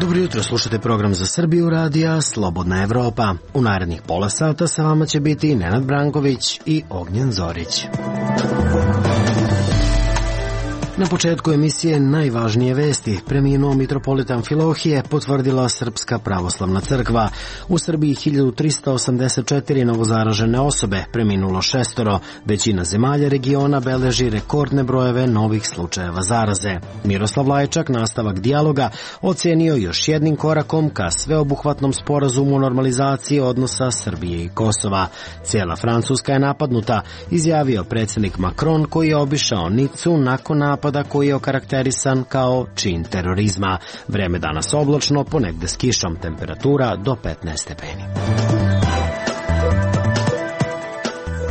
Dobro jutro, slušate program za Srbiju radija Slobodna Evropa. U narednih pola sata sa vama će biti Nenad Branković i Ognjen Zorić. Na početku emisije najvažnije vesti. Preminuo mitropolit Amfilohije, potvrdila Srpska pravoslavna crkva. U Srbiji 1384 novozaražene osobe, preminulo 6. Većina zemalja regiona beleži rekordne brojeve novih slučajeva zaraze. Miroslav Lajčak nastavak dijaloga ocenio još jednim korakom ka sveobuhvatnom sporazumu o normalizaciji odnosa Srbije i Kosova. Cijela Francuska je napadnuta, izjavio predsjednik Macron, koji je obišao Nicu nakon napada koji je okarakterisan kao čin terorizma. Vreme danas oblačno, ponegde s kišom, temperatura do 15 stepeni.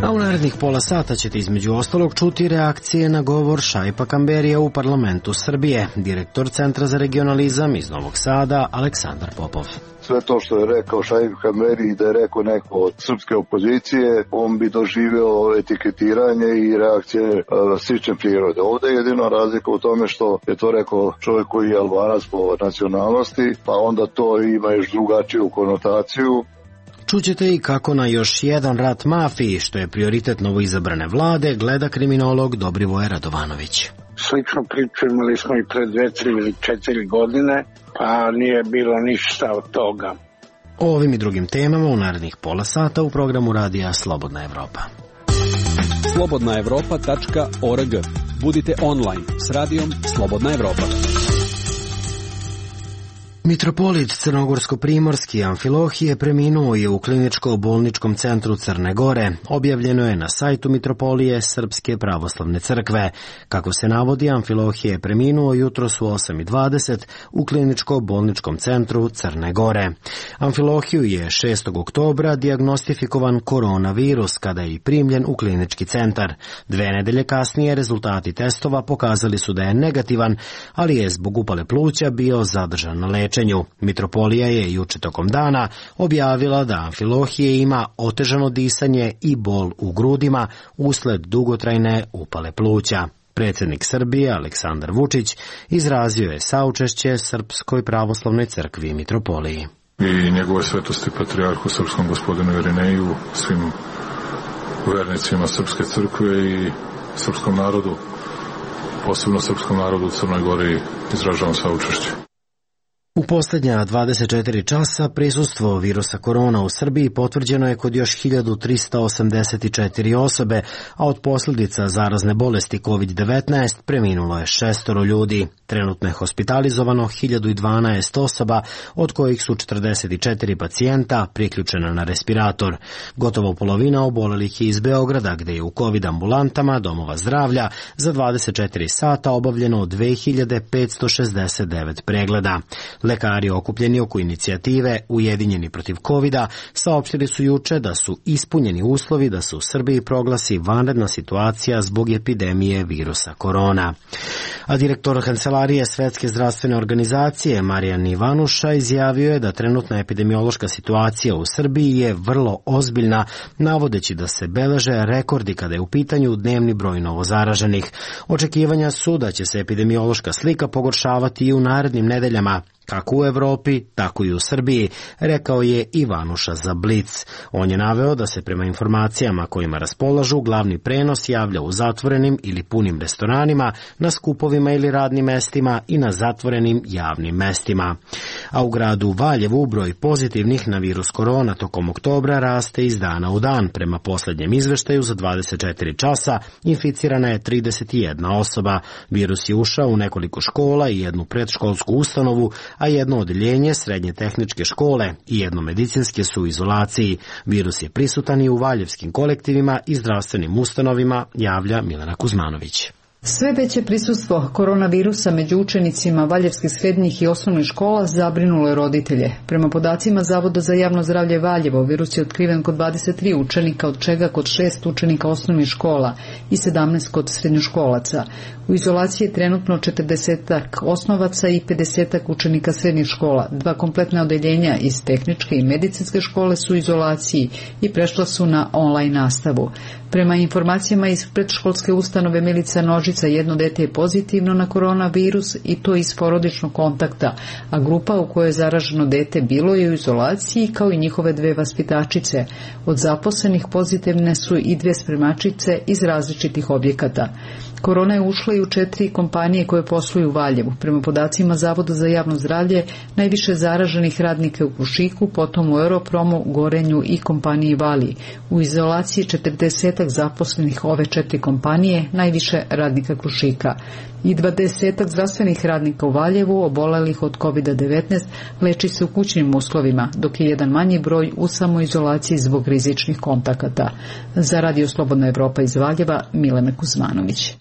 A u narednih pola sata ćete između ostalog čuti reakcije na govor Šaipa Kamberija u parlamentu Srbije. Direktor Centra za regionalizam iz Novog Sada, Aleksandar Popov. Sve to što je rekao Šaip Kamberi, da je rekao neko od srpske opozicije, on bi doživio etiketiranje i reakcije slične prirode. Ovdje je jedino razlika u tome što je to rekao čovjek koji je Albanac po nacionalnosti, pa onda to ima još drugačiju konotaciju. Čućete i kako na još jedan rat mafiji, što je prioritet novoizabrane vlade, gleda kriminolog Dobrivoje Radovanović. Sličnu priču imali smo i pred 2, 3 ili 4 godine, pa nije bilo ništa od toga. O ovim i drugim temama u narednih pola sata u programu radija Slobodna Evropa. slobodnaevropa.org. Budite online s radijom Slobodna Evropa. Mitropolit Crnogorsko-primorski Amfilohije preminuo je u kliničko-bolničkom centru Crne Gore. Objavljeno je na sajtu Mitropolije Srpske pravoslavne crkve. Kako se navodi, Amfilohije je preminuo jutros u 8:20 u kliničko-bolničkom centru Crne Gore. Amfilohiju je 6. oktobra dijagnostifikovan koronavirus kada je i primljen u klinički centar. 2 nedelje kasnije rezultati testova pokazali su da je negativan, ali je zbog upale pluća bio zadržan na lečenju. Mitropolija je juče tokom dana objavila da Amfilohije ima otežano disanje i bol u grudima usled dugotrajne upale pluća. Predsjednik Srbije Aleksandar Vučić izrazio je saučešće Srpskoj pravoslavnoj crkvi i Mitropoliji. I njegove svetosti patrijarhu srpskom gospodinu Irineju, svim vernicima Srpske crkve i srpskom narodu, posebno srpskom narodu u Crnoj Gori, izražavam saučešće. U posljednja 24 časa prisustvo virusa korona u Srbiji potvrđeno je kod još 1384 osobe, a od posljedica zarazne bolesti COVID-19 preminulo je 6 ljudi. Trenutno je hospitalizovano 1012 osoba, od kojih su 44 pacijenta priključena na respirator. Gotovo polovina obolelih je iz Beograda, gdje je u COVID ambulantama domova zdravlja za 24 sata obavljeno 2569 pregleda. Lekari okupljeni oko inicijative Ujedinjeni protiv covida saopštili su juče da su ispunjeni uslovi da se u Srbiji proglasi vanredna situacija zbog epidemije virusa korona. A direktor Kancelarije Svetske zdravstvene organizacije Marijan Ivanuša izjavio je da trenutna epidemiološka situacija u Srbiji je vrlo ozbiljna, navodeći da se beleže rekordi kada je u pitanju dnevni broj novozaraženih. Očekivanja su da će se epidemiološka slika pogoršavati i u narednim nedeljama, kako u Evropi, tako i u Srbiji, rekao je Ivanuša za Blic. On je naveo da se prema informacijama kojima raspolažu glavni prenos javlja u zatvorenim ili punim restoranima, na skupovima ili radnim mestima i na zatvorenim javnim mestima. A u gradu Valjevu broj pozitivnih na virus korona tokom oktobra raste iz dana u dan. Prema posljednjem izveštaju za 24 časa inficirana je 31 osoba. Virus je ušao u nekoliko škola i jednu predškolsku ustanovu, a jedno odeljenje srednje tehničke škole i jedno medicinske su u izolaciji. Virus je prisutan i u valjevskim kolektivima i zdravstvenim ustanovima, javlja Milena Kuzmanović. Sve veće prisustvo koronavirusa među učenicima valjevskih srednjih i osnovnih škola zabrinulo je roditelje. Prema podacima Zavoda za javno zdravlje Valjevo, virus je otkriven kod 23 učenika, od čega kod 6 učenika osnovnih škola i 17 kod srednjoškolaca. U izolaciji je trenutno 40-ak osnovaca i 50-ak učenika srednjih škola. 2 kompletna odeljenja iz tehničke i medicinske škole su u izolaciji i prešla su na online nastavu. Prema informacijama iz predškolske ustanove Milica Nožica, jedno dete je pozitivno na koronavirus i to iz porodičnog kontakta, a grupa u kojoj je zaraženo dete bilo je u izolaciji kao i njihove 2 vaspitačice. Od zaposlenih pozitivne su i 2 spremačice iz različitih objekata. Korona je ušla i u 4 kompanije koje posluju u Valjevu. Prema podacima Zavoda za javno zdravlje, najviše zaraženih radnika u Krušiku, potom u Europromu, Gorenju i kompaniji Vali. U izolaciji 40 zaposlenih ove 4 kompanije, najviše radnika Krušika. I 20 zdravstvenih radnika u Valjevu, obolelih od COVID-19, leči se u kućnim uslovima, dok je jedan manji broj u samoizolaciji zbog rizičnih kontakata. Za Radio Slobodna Evropa iz Valjeva, Milena Kuzmanović.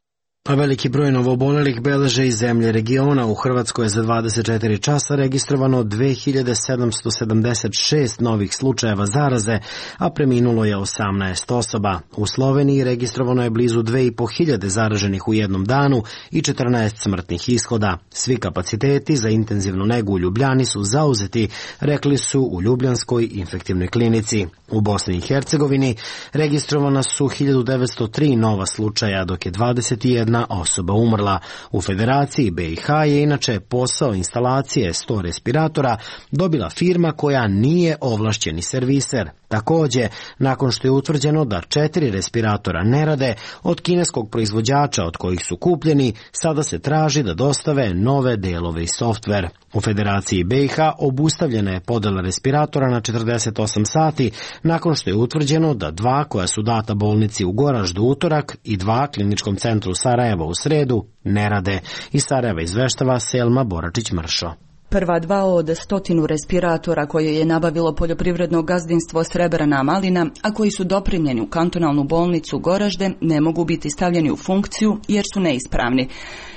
A veliki broj novoobolelih beleže iz zemlje regiona. U Hrvatskoj je za 24 časa registrovano 2776 novih slučajeva zaraze, a preminulo je 18 osoba. U Sloveniji registrovano je blizu 2500 zaraženih u jednom danu i 14 smrtnih ishoda. Svi kapaciteti za intenzivnu negu u Ljubljani su zauzeti, rekli su u Ljubljanskoj infektivnoj klinici. U Bosni i Hercegovini registrovana su 1903 nova slučaja, dok je 21 osoba umrla. U Federaciji BiH je inače posao instalacije 100 respiratora dobila firma koja nije ovlašćeni serviser. Također, nakon što je utvrđeno da 4 respiratora ne rade od kineskog proizvođača od kojih su kupljeni, sada se traži da dostave nove delove i softver. U Federaciji BiH obustavljena je podela respiratora na 48 sati nakon što je utvrđeno da 2 koja su data bolnici u Goraždu utorak i 2 kliničkom centru Sarajeva u sredu ne rade. Iz Sarajeva izveštava Selma Boračić-Mršo. Prva 2 od 100 respiratora koje je nabavilo poljoprivredno gazdinstvo Srebrana Malina, a koji su doprimljeni u kantonalnu bolnicu Goražde, ne mogu biti stavljeni u funkciju jer su neispravni.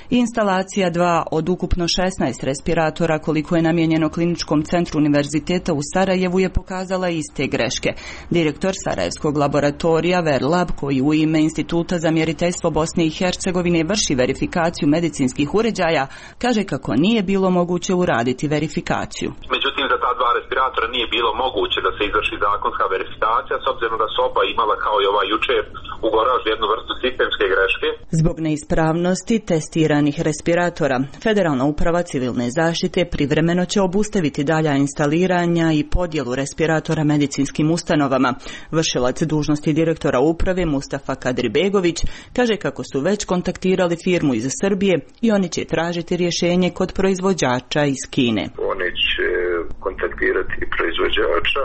Instalacija 2 od ukupno 16 respiratora koliko je namijenjeno kliničkom centru univerziteta u Sarajevu je pokazala iste greške. Direktor Sarajevskog laboratorija Verlab, koji u ime Instituta za mjeriteljstvo Bosne i Hercegovine vrši verifikaciju medicinskih uređaja, kaže kako nije bilo moguće uraditi verifikaciju. Međutim, za ta 2 respiratora nije bilo moguće da se izvrši zakonska verifikacija, s obzirom da su oba imala kao i ova jučer u Goraždu jednu vrstu sistemske greške. Zbog neispravnosti testiranih respiratora, Federalna uprava civilne zaštite privremeno će obustaviti dalja instaliranja i podjelu respiratora medicinskim ustanovama. Vršilac dužnosti direktora uprave Mustafa Kadribegović kaže kako su već kontaktirali firmu iz Srbije i oni će tražiti rješenje kod proizvođača iz Kine. Oni će kontaktirati proizvođača.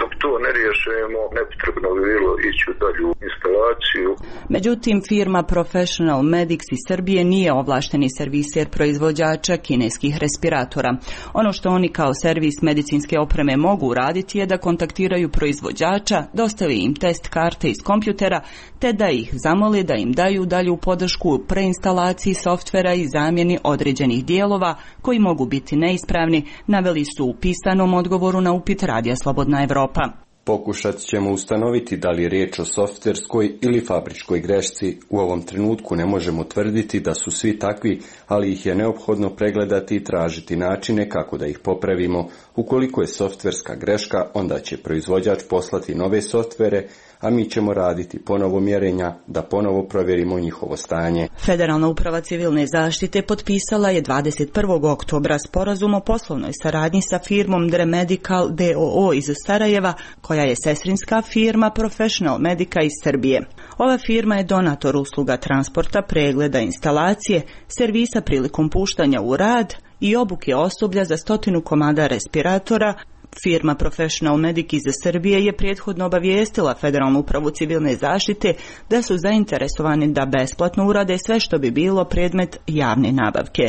Dok to ne riješimo, nepotrebno bi bilo ići u dalju instalaciju. Međutim, firma Professional Medics iz Srbije nije ovlašteni serviser proizvođača kineskih respiratora. Ono što oni kao servis medicinske opreme mogu uraditi je da kontaktiraju proizvođača, dostavi im test karte iz kompjutera, te da ih zamole da im daju dalju podršku u preinstalaciji softvera i zamjeni određenih dijelova koji mogu biti neispravni, naveli su u pisanom odgovoru na upit Radija Slobodna Evropa. Pokušat ćemo ustanoviti da li je riječ o softverskoj ili fabričkoj grešci. U ovom trenutku ne možemo tvrditi da su svi takvi, ali ih je neophodno pregledati i tražiti načine kako da ih popravimo. Ukoliko je softverska greška, onda će proizvođač poslati nove softvere, a mi ćemo raditi ponovo mjerenja da ponovo provjerimo njihovo stanje. Federalna uprava civilne zaštite potpisala je 21. oktobra sporazum o poslovnoj saradnji sa firmom Dre Medical DOO iz Sarajeva, koja je sestrinska firma Professional Medica iz Srbije. Ova firma je donator usluga transporta, pregleda, instalacije, servisa prilikom puštanja u rad i obuke osoblja za 100 komada respiratora. Firma Professional Medic iz Srbije je prethodno obavijestila Federalnu upravu civilne zaštite da su zainteresovani da besplatno urade sve što bi bilo predmet javne nabavke.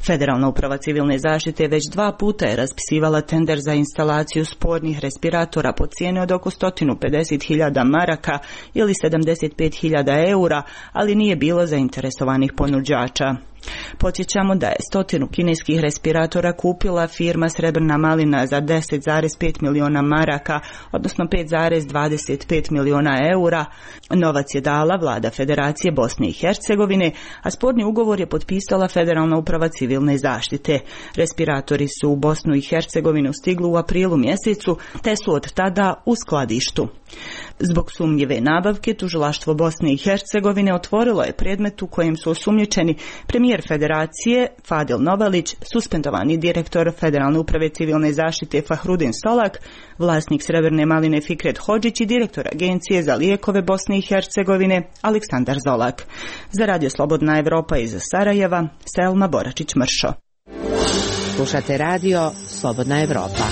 Federalna uprava civilne zaštite već 2 puta je raspisivala tender za instalaciju spornih respiratora po cijeni od oko 150.000 maraka ili 75.000 eura, ali nije bilo zainteresovanih ponuđača. Podsjećamo da je 100 kineskih respiratora kupila firma Srebrna malina za 10,5 miliona maraka, odnosno 5,25 miliona eura. Novac je dala vlada Federacije Bosne i Hercegovine, a sporni ugovor je potpisala Federalna uprava civilne zaštite. Respiratori su u Bosnu i Hercegovinu stigli u aprilu mjesecu, te su od tada u skladištu. Zbog sumnjive nabavke, tužilaštvo Bosne i Hercegovine otvorilo je predmet u kojem su osumnjičeni premijer Federacije Fadil Novalić, suspendovani direktor Federalne uprave civilne zaštite Fahrudin Solak, vlasnik Srebrne maline Fikret Hodžić i direktor Agencije za lijekove Bosne i Hercegovine Aleksandar Zolak. Za Radio Slobodna Evropa iz Sarajeva, Selma Boračić-Mršo. Slušate Radio Slobodna Evropa.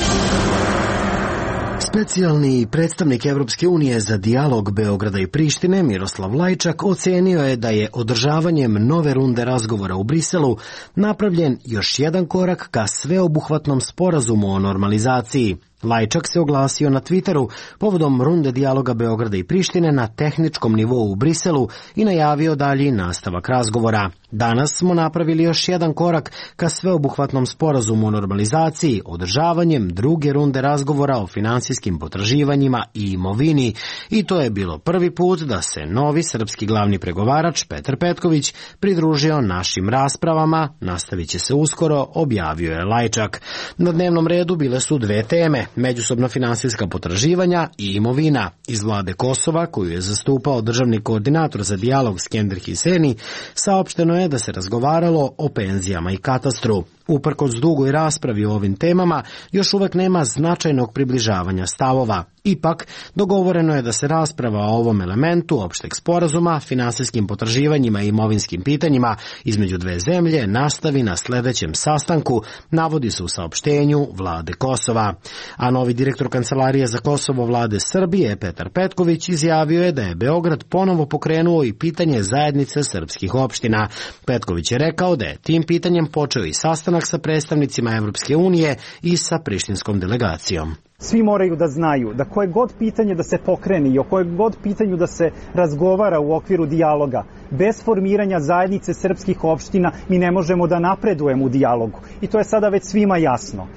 Specijalni predstavnik Evropske unije za dijalog Beograda i Prištine Miroslav Lajčak ocenio je da je održavanjem nove runde razgovora u Briselu napravljen još jedan korak ka sveobuhvatnom sporazumu o normalizaciji. Lajčak se oglasio na Twitteru povodom runde dijaloga Beograda i Prištine na tehničkom nivou u Briselu i najavio dalji nastavak razgovora. Danas smo napravili još jedan korak ka sveobuhvatnom sporazumu o normalizaciji, održavanjem druge runde razgovora o finansijskim potraživanjima i imovini, i to je bilo prvi put da se novi srpski glavni pregovarač Petar Petković pridružio našim raspravama, nastavit će se uskoro, objavio je Lajčak. Na dnevnom redu bile su 2 teme: međusobna finansijska potraživanja i imovina. Iz vlade Kosova, koju je zastupao državni koordinator za dijalog Skender Hiseni, saopšteno je da se razgovaralo o penzijama i katastru. Uprkos dugoj raspravi o ovim temama, još uvek nema značajnog približavanja stavova. Ipak, dogovoreno je da se rasprava o ovom elementu opšteg sporazuma, finansijskim potraživanjima i imovinskim pitanjima između 2 zemlje nastavi na sledećem sastanku, navodi se u saopštenju vlade Kosova. A novi direktor Kancelarije za Kosovo vlade Srbije, Petar Petković, izjavio je da je Beograd ponovo pokrenuo i pitanje zajednice srpskih opština. Petković je rekao da je tim pitanjem počeo i sastanak sa predstavnicima Evropske unije i sa prištinskom delegacijom. Svi moraju da znaju da koje god pitanje da se pokrene i o koje god pitanju da se razgovara u okviru dijaloga, bez formiranja zajednice srpskih opština mi ne možemo da napredujemo u dijalogu. I to je sada već svima jasno.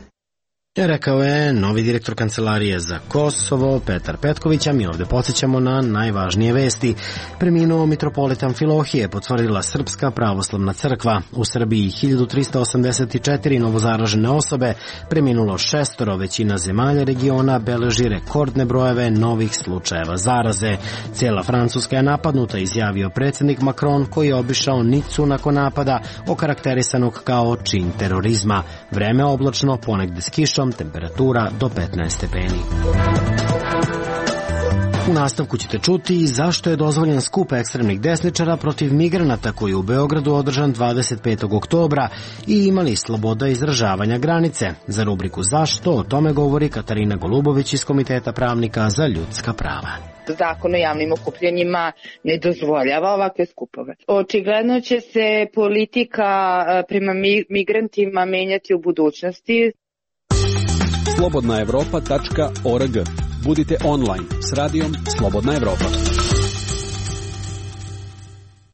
Rekao je novi direktor Kancelarije za Kosovo, Petar Petković, a mi ovde podsjećamo na najvažnije vesti. Preminuo mitropolita Amfilohije, potvrdila Srpska pravoslavna crkva. U Srbiji 1384 novozaražene osobe, preminulo 6, većina zemalja regiona beleži rekordne brojeve novih slučajeva zaraze. Cijela Francuska je napadnuta, izjavio predsjednik Macron, koji je obišao Nicu nakon napada, okarakterisanog kao čin terorizma. Vreme oblačno, ponegde s kišom, temperatura do 15 stepeni. U nastavku ćete čuti zašto je dozvoljen skup ekstremnih desničara protiv migranata koji je u Beogradu održan 25. oktobra i imali sloboda izražavanja granice. Za rubriku Zašto o tome govori Katarina Golubović iz Komiteta pravnika za ljudska prava. Zakon o javnim okupljanjima ne dozvoljava ovakve skupove. Očigledno će se politika prema migrantima menjati u budućnosti. slobodnaevropa.org. Budite online s radijom Slobodna Evropa.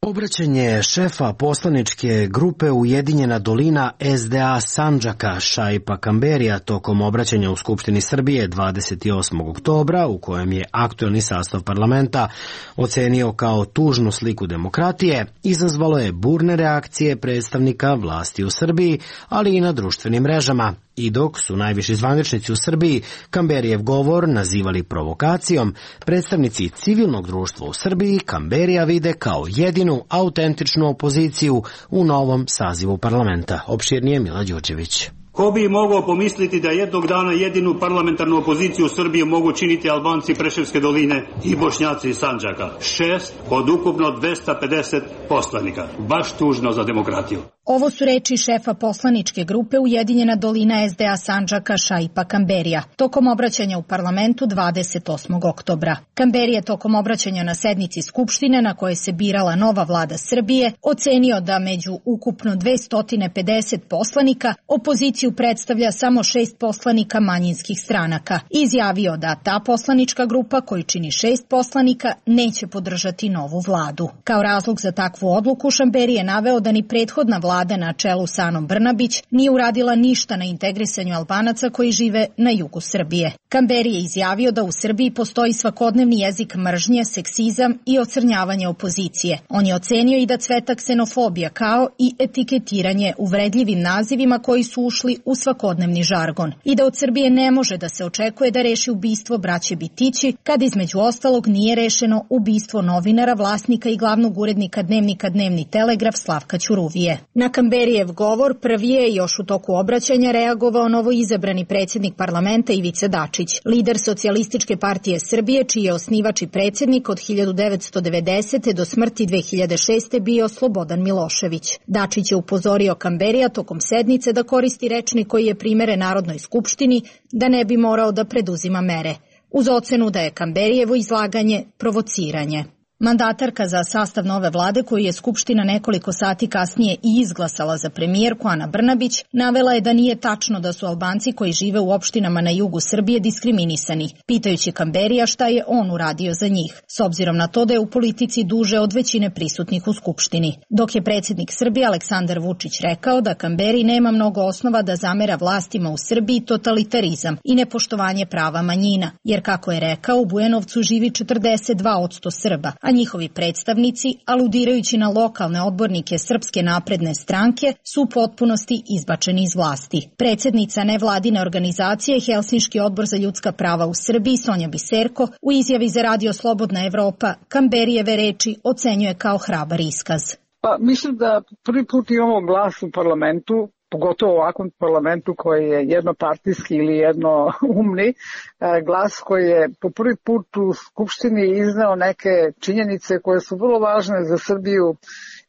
Obraćanje šefa poslaničke grupe Ujedinjena dolina SDA Sandžaka Šaipa Kamberija tokom obraćanja u Skupštini Srbije 28. oktobra, u kojem je aktuelni sastav parlamenta ocenio kao tužnu sliku demokratije, izazvalo je burne reakcije predstavnika vlasti u Srbiji, ali i na društvenim mrežama. I dok su najviši zvaničnici u Srbiji Kamberijev govor nazivali provokacijom, predstavnici civilnog društva u Srbiji Kamberija vide kao jedinu autentičnu opoziciju u novom sazivu parlamenta. Opširnije Mila Đurđević. Ko bi mogao pomisliti da jednog dana jedinu parlamentarnu opoziciju u Srbiji mogu činiti Albanci Preševske doline i Bošnjaci iz Sandžaka. 6 od ukupno 250 poslanika. Baš tužno za demokratiju. Ovo su reči šefa poslaničke grupe Ujedinjena dolina SDA Sandžaka Šaipa Kamberija tokom obraćanja u parlamentu 28. oktobra. Kamberi je tokom obraćanja na sednici Skupštine na kojoj se birala nova vlada Srbije ocenio da među ukupno 250 poslanika opoziciju predstavlja samo 6 poslanika manjinskih stranaka. Izjavio da ta poslanička grupa, koju čini 6 poslanika, neće podržati novu vladu. Kao razlog za takvu odluku Kamberi je naveo da ni prethodna vlada na čelu sa Anom Brnabić nije uradila ništa na integrisanju Albanaca koji žive na jugu Srbije. Kamberi je izjavio da u Srbiji postoji svakodnevni jezik mržnje, seksizam i ocrnjavanje opozicije. On je ocenio i da cveta ksenofobija kao i etiketiranje uvredljivim nazivima koji su ušli u svakodnevni žargon i da od Srbije ne može da se očekuje da reši ubistvo braće Bitići, kad između ostalog nije rešeno ubistvo novinara, vlasnika i glavnog urednika dnevnika Dnevni Telegraf Slavka Ćuruvije. Na Kamberijev govor prvi je još u toku obraćanja reagovao novoizabrani predsjednik parlamenta Ivica Dačić, lider Socijalističke partije Srbije, čiji je osnivač i predsjednik od 1990. do smrti 2006. bio Slobodan Milošević. Dačić je upozorio Kamberija tokom sednice da koristi rečnik koji je primeren Narodnoj skupštini, da ne bi morao da preduzima mere, uz ocenu da je Kamberijevo izlaganje provociranje. Mandatarka za sastav nove vlade, koju je Skupština nekoliko sati kasnije i izglasala za premijerku Ana Brnabić, navela je da nije tačno da su Albanci koji žive u opštinama na jugu Srbije diskriminisani, pitajući Kamberija šta je on uradio za njih, s obzirom na to da je u politici duže od većine prisutnih u Skupštini. Dok je predsjednik Srbije Aleksandar Vučić rekao da Kamberi nema mnogo osnova da zamera vlastima u Srbiji totalitarizam i nepoštovanje prava manjina, jer kako je rekao, u Bujanovcu živi 42% Srba, a njihovi predstavnici, aludirajući na lokalne odbornike Srpske napredne stranke, su u potpunosti izbačeni iz vlasti. Predsjednica nevladine organizacije Helsinški odbor za ljudska prava u Srbiji Sonja Biserko u izjavi za Radio Slobodna Evropa Kamberijeve reči ocenjuje kao hrabar iskaz. Pa mislim da prvi put imamo glas u parlamentu, pogotovo u ovakvom parlamentu koji je jednopartijski ili jednoumni, glas koji je po prvi put u Skupštini izneo neke činjenice koje su vrlo važne za Srbiju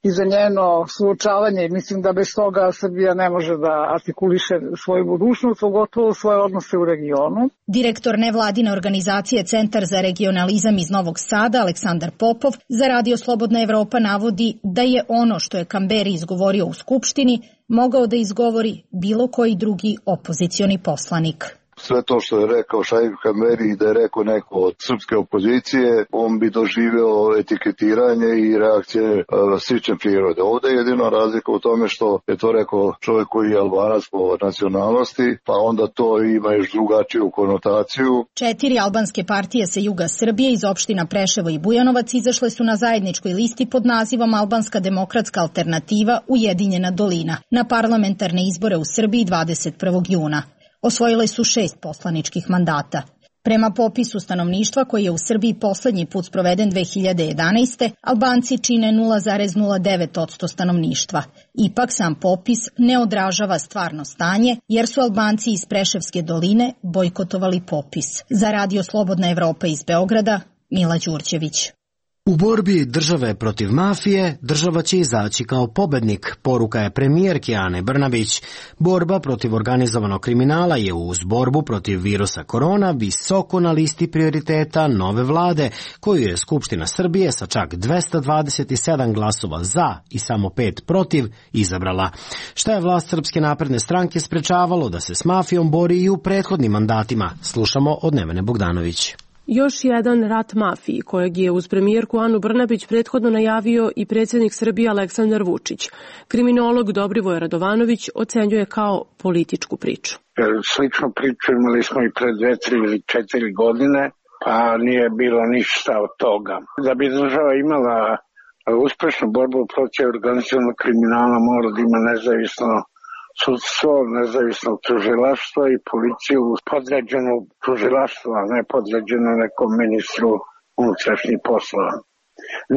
i za njeno suočavanje. Mislim da bez toga Srbija ne može da artikuliše svoju budućnost, pogotovo svoje odnose u regionu. Direktor nevladine organizacije Centar za regionalizam iz Novog Sada, Aleksandar Popov, za Radio Slobodna Evropa navodi da je ono što je Kamberi izgovorio u Skupštini mogao da izgovori bilo koji drugi opozicioni poslanik. Sve to što je rekao Šaip Kamberi da je rekao neko od srpske opozicije, on bi doživeo etiketiranje i reakcije slične prirode. Ovde je jedino razlika u tome što je to rekao čovjek koji je Albanac po nacionalnosti, pa onda to ima još drugačiju konotaciju. 4 albanske partije sa juga Srbije iz opština Preševo i Bujanovac izašle su na zajedničkoj listi pod nazivom Albanska demokratska alternativa Ujedinjena dolina na parlamentarne izbore u Srbiji 21. juna. Osvojile su 6 poslaničkih mandata. Prema popisu stanovništva koji je u Srbiji poslednji put sproveden 2011. Albanci čine 0,09% stanovništva. Ipak sam popis ne odražava stvarno stanje jer su Albanci iz Preševske doline bojkotovali popis. Za Radio Slobodna Evropa iz Beograda, Mila Đurđević. U borbi države protiv mafije, država će izaći kao pobednik, poruka je premijerke Ane Brnabić. Borba protiv organizovanog kriminala je uz borbu protiv virusa korona visoko na listi prioriteta nove vlade, koju je Skupština Srbije sa čak 227 glasova za i samo 5 protiv izabrala. Šta je vlast Srpske napredne stranke sprečavalo da se s mafijom bori i u prethodnim mandatima? Slušamo od Nevene Bogdanović. Još jedan rat mafiji, kojeg je uz premijerku Anu Brnabić prethodno najavio i predsjednik Srbije Aleksandar Vučić. Kriminolog Dobrivoj Radovanović ocenjuje kao političku priču. Sličnu priču imali smo i pred 2, 3 ili 4 godine, pa nije bilo ništa od toga. Da bi država imala uspešnu borbu protiv organizovanog kriminala, mora da ima nezavisno sudstvo, nezavisno tužilaštvo i policiju podređenu tužilaštvu, a ne podređenu nekom ministru unutrašnjih poslova.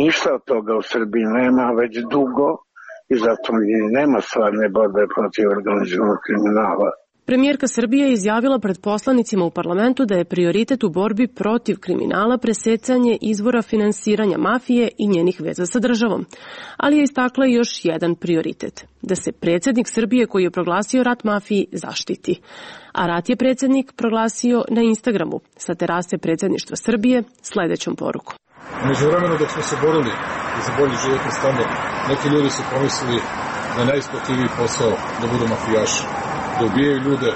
Ništa od toga u Srbiji nema već dugo i zato nema stvarne borbe protiv organizovanog kriminala. Premijerka Srbije je izjavila pred poslanicima u parlamentu da je prioritet u borbi protiv kriminala presecanje izvora finansiranja mafije i njenih veza sa državom. Ali je istakla još jedan prioritet, da se predsjednik Srbije koji je proglasio rat mafiji zaštiti. A rat je predsjednik proglasio na Instagramu sa terase predsjedništva Srbije sledećom porukom. Među vremenu dok smo se borili za bolji životni standard, neki ljudi su pomislili da je najisplativiji posao da budu mafijaši, da ubijaju ljude,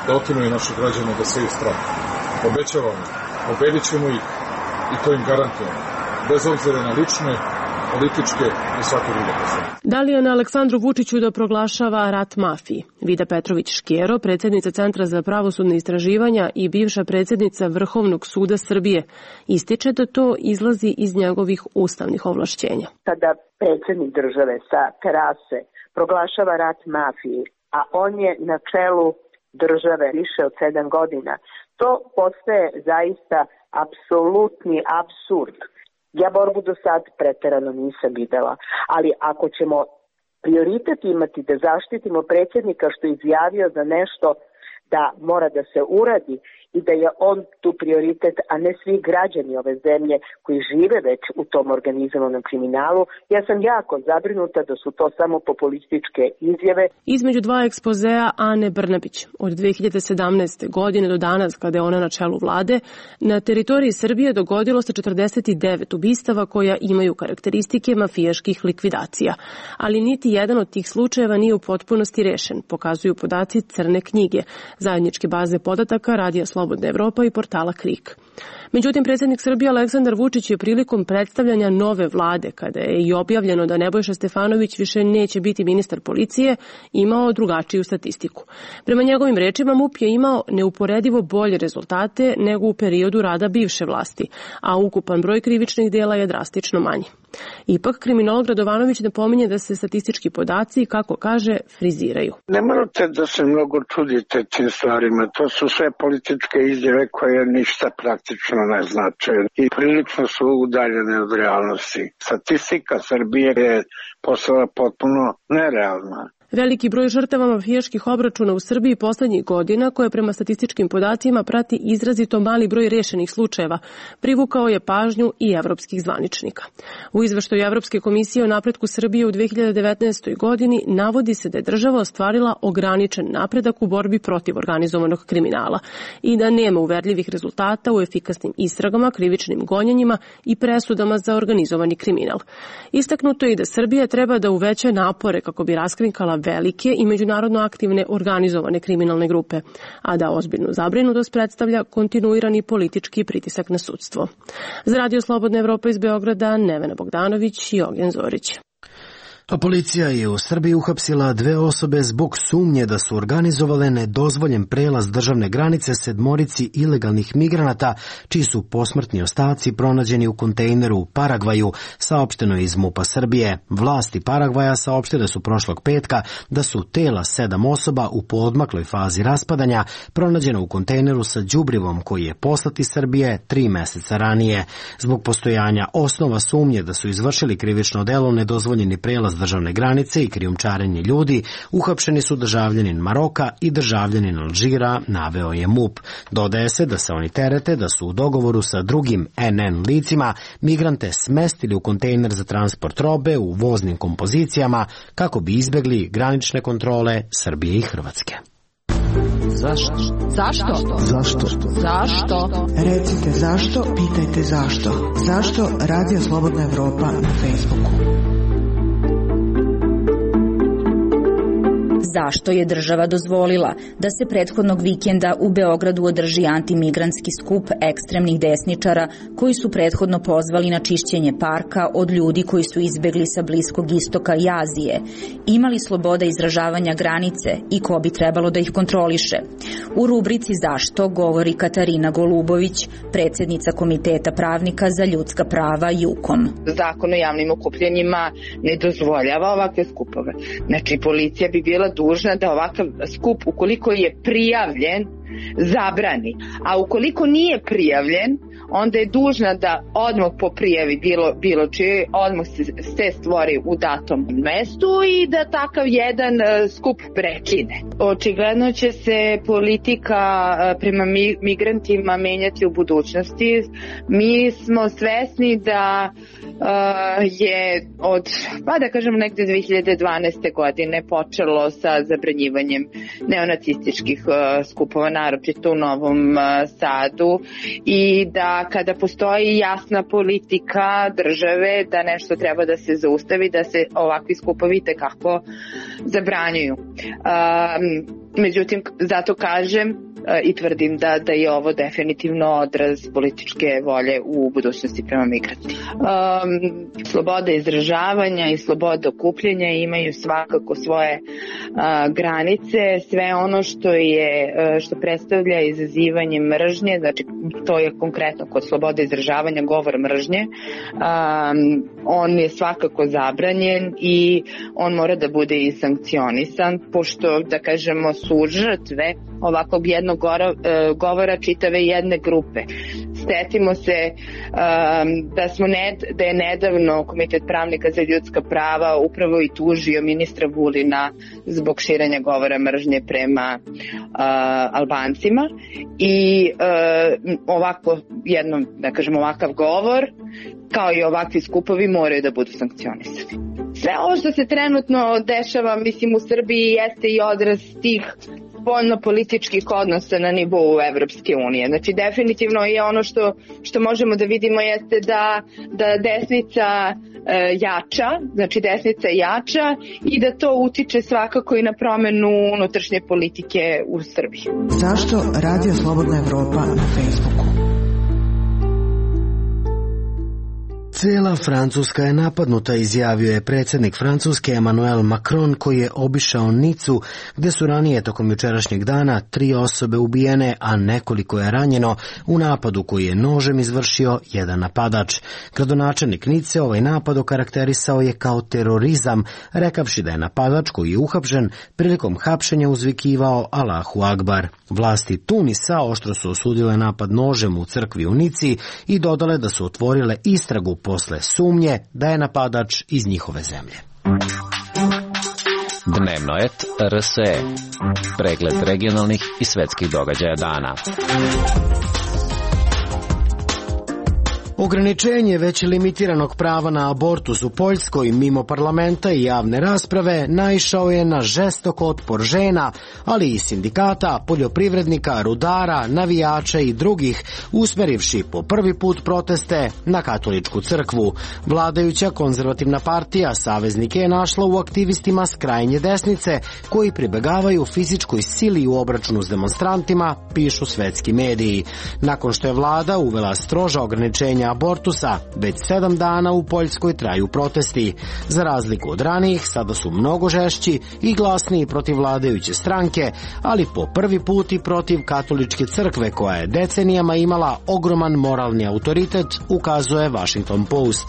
da otimaju naše građane, da seju strah. Obećavamo, pobedit ćemo ih i to im garantujemo, bez obzira na lične, političke i svake druge posledice. Da li je na Aleksandru Vučiću da proglašava rat mafiji? Vida Petrović-Škero, predsjednica Centra za pravosudne istraživanja i bivša predsjednica Vrhovnog suda Srbije, ističe da to izlazi iz njegovih ustavnih ovlašćenja. Kada predsjednik države sa terase proglašava rat mafiji, a on je na čelu države više od 7 godina, to postaje zaista apsolutni apsurd. Ja borbu do sad preterano nisam videla, ali ako ćemo prioritet imati da zaštitimo predsjednika što je izjavio za nešto da mora da se uradi i da je on tu prioritet, a ne svi građani ove zemlje koji žive već u tom organizovanom kriminalu, ja sam jako zabrinuta da su to samo populističke izjave. Između dva ekspozea Ane Brnabić od 2017. godine do danas, kada je ona na čelu vlade, na teritoriji Srbije dogodilo se 49 ubistava koja imaju karakteristike mafijaških likvidacija. Ali niti jedan od tih slučajeva nije u potpunosti rešen, pokazuju podaci Crne knjige, zajedničke baze podataka Radija Slobodna Evropa i portala KRIK. Međutim, predsjednik Srbije Aleksandar Vučić je prilikom predstavljanja nove vlade, kada je i objavljeno da Nebojša Stefanović više neće biti ministar policije, imao drugačiju statistiku. Prema njegovim rečima, MUP je imao neuporedivo bolje rezultate nego u periodu rada bivše vlasti, a ukupan broj krivičnih dela je drastično manji. Ipak, kriminolog Radovanović napominje da se statistički podaci, kako kaže, friziraju. Ne morate da se mnogo čudite tim stvarima. To su sve političke izjave koje ništa praktično ne znače i prilično su udaljene od realnosti. Statistika Srbije je postala potpuno nerealna. Veliki broj žrtava mafijaških obračuna u Srbiji poslednjih godina, koje prema statističkim podacima prati izrazito mali broj rešenih slučajeva, privukao je pažnju i evropskih zvaničnika. U izveštaju Evropske komisije o napretku Srbije u 2019. godini navodi se da je država ostvarila ograničen napredak u borbi protiv organizovanog kriminala i da nema uverljivih rezultata u efikasnim istragama, krivičnim gonjenjima i presudama za organizovani kriminal. Istaknuto je i da Srbija treba da uveća napore kako bi raskrinkala velike i međunarodno aktivne organizovane kriminalne grupe, a da ozbiljnu zabrinutost predstavlja kontinuirani politički pritisak na sudstvo. Za Radio Slobodna Evropa iz Beograda, Nevena Bogdanović i Ognjen Zorić. A policija je u Srbiji uhapsila 2 osobe zbog sumnje da su organizovale nedozvoljen prelaz državne granice 7 ilegalnih migranata, čiji su posmrtni ostaci pronađeni u kontejneru u Paragvaju, saopšteno je iz MUP-a Srbije. Vlasti Paragvaja saopštile su prošlog petka da su tela 7 osoba u poodmakloj fazi raspadanja pronađena u kontejneru sa đubrivom koji je poslat iz Srbije 3 meseca ranije. Zbog postojanja osnova sumnje da su izvršili krivično delo nedozvoljeni prelaz državne granice i krijumčarenje ljudi, uhapšeni su državljanin Maroka i državljanin Alžira, naveo je MUP. Dodaje se da se oni terete da su u dogovoru sa drugim NN licima migrante smestili u kontejner za transport robe u voznim kompozicijama kako bi izbegli granične kontrole Srbije i Hrvatske. Zašto? Zašto? Zašto? Zašto? Recite zašto, pitajte zašto. Zašto Radio Slobodna Evropa na Facebooku? Zašto je država dozvolila da se prethodnog vikenda u Beogradu održi antimigrantski skup ekstremnih desničara koji su prethodno pozvali na čišćenje parka od ljudi koji su izbegli sa Bliskog istoka i Azije, imali sloboda izražavanja granice i ko bi trebalo da ih kontroliše? U rubrici Zašto govori Katarina Golubović, predsjednica Komiteta pravnika za ljudska prava JUKOM. Zakon o javnim okupljenjima ne dozvoljava ovakve skupove. Znači, policija bi bila dužna da ovakav skup, ukoliko je prijavljen, zabrani. A ukoliko nije prijavljen, onda je dužna da odmah po prijavi bilo čije, odmah se stvori u datom mestu i da takav jedan skup prekine. Očigledno će se politika prema migrantima menjati u budućnosti. Mi smo svesni da je od, da kažem, negde 2012. godine počelo sa zabranjivanjem neonacističkih skupova, naročito u Novom Sadu, i da kada postoji jasna politika države da nešto treba da se zaustavi, da se ovakvi skupovi tekako zabranjuju. Međutim, zato kažem i tvrdim da je ovo definitivno odraz političke volje u budućnosti prema migrantima. Sloboda izražavanja i sloboda okupljanja imaju svakako svoje granice. Sve ono što predstavlja izazivanje mržnje, znači to je konkretno kod slobode izražavanja govor mržnje, on je svakako zabranjen i on mora da bude i sankcionisan, pošto, da kažemo, su žrtve ovakvog jednog govora čitave jedne grupe. Setimo se da je nedavno Komitet pravnika za ljudska prava upravo i tužio ministra Vulina zbog širenja govora mržnje prema Albancima i ovakav govor kao i ovakvi skupovi moraju da budu sankcionisani. Sve ovo što se trenutno dešava, mislim, u Srbiji jeste i odraz tih spoljno-političkih odnosa na nivou Evropske unije. Znači, definitivno je ono što možemo da vidimo jeste da desnica jača i da to utiče svakako i na promenu unutrašnje politike u Srbiji. Zašto Radio Slobodna Evropa na Facebooku? Cela Francuska je napadnuta, izjavio je predsjednik Francuske Emmanuel Macron, koji je obišao Nicu, gde su ranije tokom jučerašnjeg dana 3 osobe ubijene, a nekoliko je ranjeno u napadu koji je nožem izvršio jedan napadač. Gradonačelnik Nice ovaj napad okarakterisao je kao terorizam, rekavši da je napadač koji je uhapšen prilikom hapšenja uzvikivao Allahu Akbar. Vlasti Tunisa oštro su osudile napad nožem u crkvi u Nici i dodale da su otvorile istragu posle sumnje da je napadač iz njihove zemlje. Dnevnoet RSE. Pregled regionalnih i svetskih događaja dana. Ograničenje već limitiranog prava na abortus u Poljskoj mimo parlamenta i javne rasprave naišao je na žestok otpor žena, ali i sindikata, poljoprivrednika, rudara, navijača i drugih, usmerivši po prvi put proteste na katoličku crkvu. Vladajuća konzervativna partija saveznike je našla u aktivistima s krajnje desnice, koji pribegavaju fizičkoj sili u obračunu s demonstrantima, pišu svetski mediji. Nakon što je vlada uvela stroža ograničenja abortusa, već 7 dana u Poljskoj traju protesti. Za razliku od ranijih, sada su mnogo žešći i glasniji protiv vladajuće stranke, ali po prvi put i protiv katoličke crkve, koja je decenijama imala ogroman moralni autoritet, ukazuje Washington Post.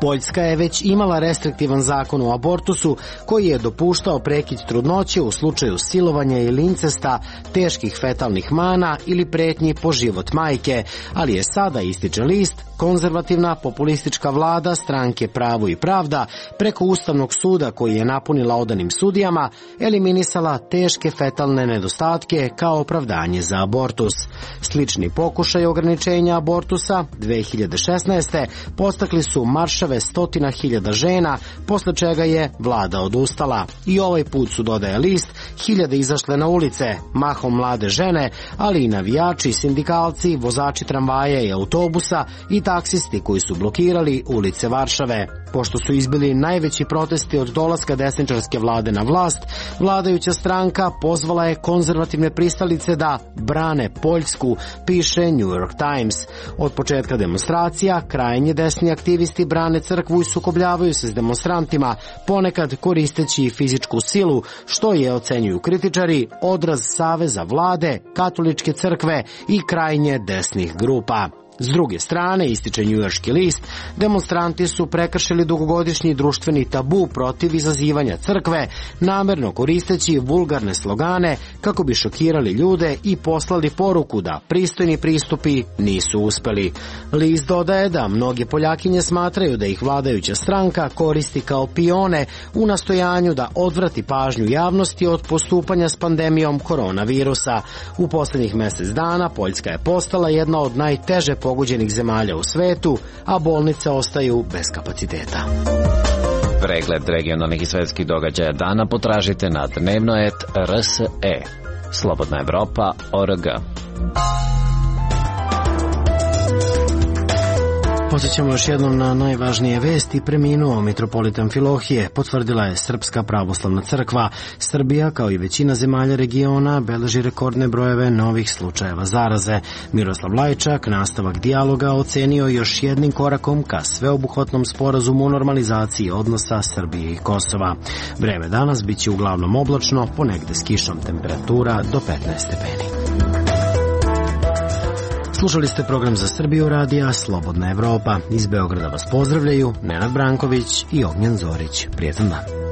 Poljska je već imala restriktivan zakon o abortusu, koji je dopuštao prekid trudnoće u slučaju silovanja ili incesta, teških fetalnih mana ili pretnji po život majke, ali je sada, ističe list, konzervativna populistička vlada stranke Pravo i pravda preko Ustavnog suda, koji je napunila odanim sudijama, eliminisala teške fetalne nedostatke kao opravdanje za abortus. Slični pokušaj ograničenja abortusa 2016. postakli su maršave 100.000 žena, posle čega je vlada odustala. I ovaj put su, dodaje list, hiljade izašle na ulice, mahom mlade žene, ali i navijači, sindikalci, vozači tramvaja i autobusa i taksisti koji su blokirali ulice Varšave. Pošto su izbili najveći protesti od dolaska desničarske vlade na vlast, vladajuća stranka pozvala je konzervativne pristalice da brane Poljsku, piše New York Times. Od početka demonstracija, krajnje desni aktivisti brane crkvu i sukobljavaju se s demonstrantima, ponekad koristeći fizičku silu, što je, ocenjuju kritičari, odraz saveza vlade, katoličke crkve i krajnje desnih grupa. S druge strane, ističe njujorški list, demonstranti su prekršili dugogodišnji društveni tabu protiv izazivanja crkve, namerno koristeći vulgarne slogane kako bi šokirali ljude i poslali poruku da pristojni pristupi nisu uspeli. List dodaje da mnoge Poljakinje smatraju da ih vladajuća stranka koristi kao pione u nastojanju da odvrati pažnju javnosti od postupanja s pandemijom koronavirusa. U poslednjih mesec dana Poljska je postala jedna od najteže pogođenih zemalja u svetu, a bolnice ostaju bez kapaciteta. Pregled regionalnih i svetskih događaja dana potražite na dnevno.rs.e. Slobodna Evropa.org. Podsjećamo još jednom na najvažnije vesti. Preminuo mitropolit Amfilohije, potvrdila je Srpska pravoslavna crkva. Srbija, kao i većina zemalja regiona, beleži rekordne brojeve novih slučajeva zaraze. Miroslav Lajčak nastavak dijaloga ocenio još jednim korakom ka sveobuhvatnom sporazumu o normalizaciji odnosa Srbije i Kosova. Vreme danas biće uglavnom oblačno, ponegde s kišom, temperatura do 15 stepeni. Slušali ste program za Srbiju radija Slobodna Evropa. Iz Beograda vas pozdravljaju Nenad Branković i Ognjen Zorić. Prijetan dan.